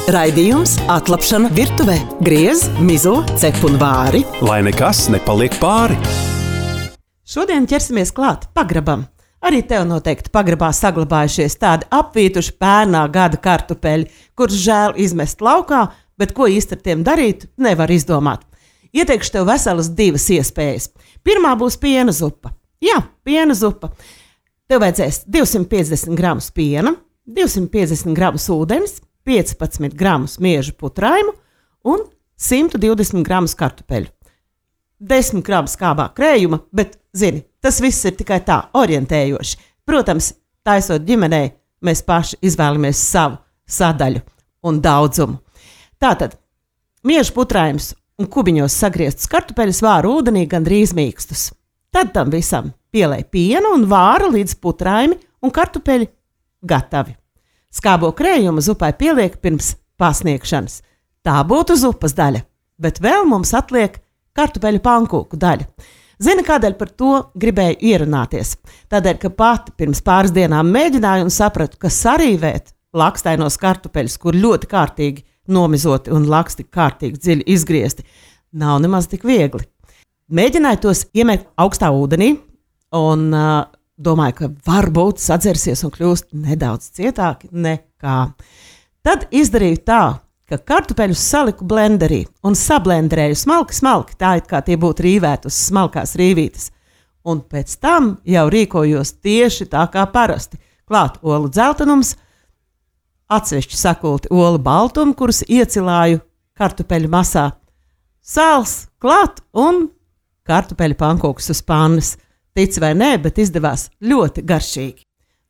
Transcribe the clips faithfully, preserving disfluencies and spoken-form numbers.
Raidījums Atlapšana virtuvē. Griez, mizo, cep un vāri. Lai nekas nepaliek pāri. Šodien ķersimies klāt pagrabam. Arī tev noteikti pagrabā saglabājušies tādi apvītuši pērnā gada kartupeļi, kurus žēl izmest laukā, bet ko īsti ar tiem darīt, nevar izdomāt. Ieteikšu tev veselas divas iespējas. Pirmā būs piena zupa. Jā, piena zupa. Tev vajadzēs divsimt piecdesmit gramus piena, divsimt piecdesmit gramus ūdens, piecpadsmit gramus miežu putraimu un simt divdesmit gramus kartupeļu. desmit gramus skābā krējuma, bet, zini, tas viss ir tikai tā, orientējoši. Protams, taisot ģimenei, mēs paši izvēlamies savu sadaļu un daudzumu. Tātad, miežu putraims un kubiņos sagrieztus kartupeļus vāra ūdenī gandrīz mīkstus. Tad tam visam pielej pienu un vāra līdz putraimi un kartupeļi gatavi. Skābo krējumu zupai pieliek pirms pasniegšanas. Tā būtu zupas daļa, bet vēl mums atliek kartupeļu pankūku daļa. Zini, kādēļ par to gribēju ierunāties? Tādēļ, ka pati pirms pāris dienām mēģināju un sapratu, ka sarīvēt lakstainos kartupeļus, kur ļoti kārtīgi nomizoti un laksti kārtīgi dziļi izgriezti, nav nemaz tik viegli. Mēģināju tos iemēt augstā ūdenī un uh, domāju, ka varbūt sadzersies un kļūst nedaudz cietāki nekā. Tad izdarīju tā, ka kartupeļus saliku blenderī un sablenderēju smalki, smalki, tā it kā tie būtu rīvēti uz smalkās rīvītes. Un pēc tam jau rīkojos tieši tā kā parasti. Klāt olu dzeltenums, atsevišķi sakulti olu baltumu, kurus iecilāju kartupeļu masā, sāls klāt un kartupeļu pankūkus uz pannas. Tic vai nē, bet izdevās ļoti garšīgi.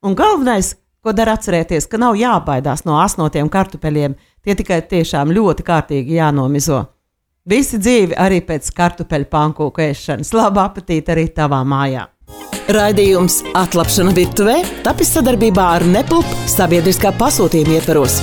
Un galvenais, ko dara atcerēties, ka nav jābaidās no asnotiem kartupeļiem, tie tikai tiešām ļoti kārtīgi jānomizo. Visi dzīvi arī pēc kartupeļu pankūku ēšanas. Labu apetīti arī tavā mājā. Raidījums Atlapšana virtuvē tapis sadarbībā ar Nepulp sabiedriskā pasūtījuma ietvaros.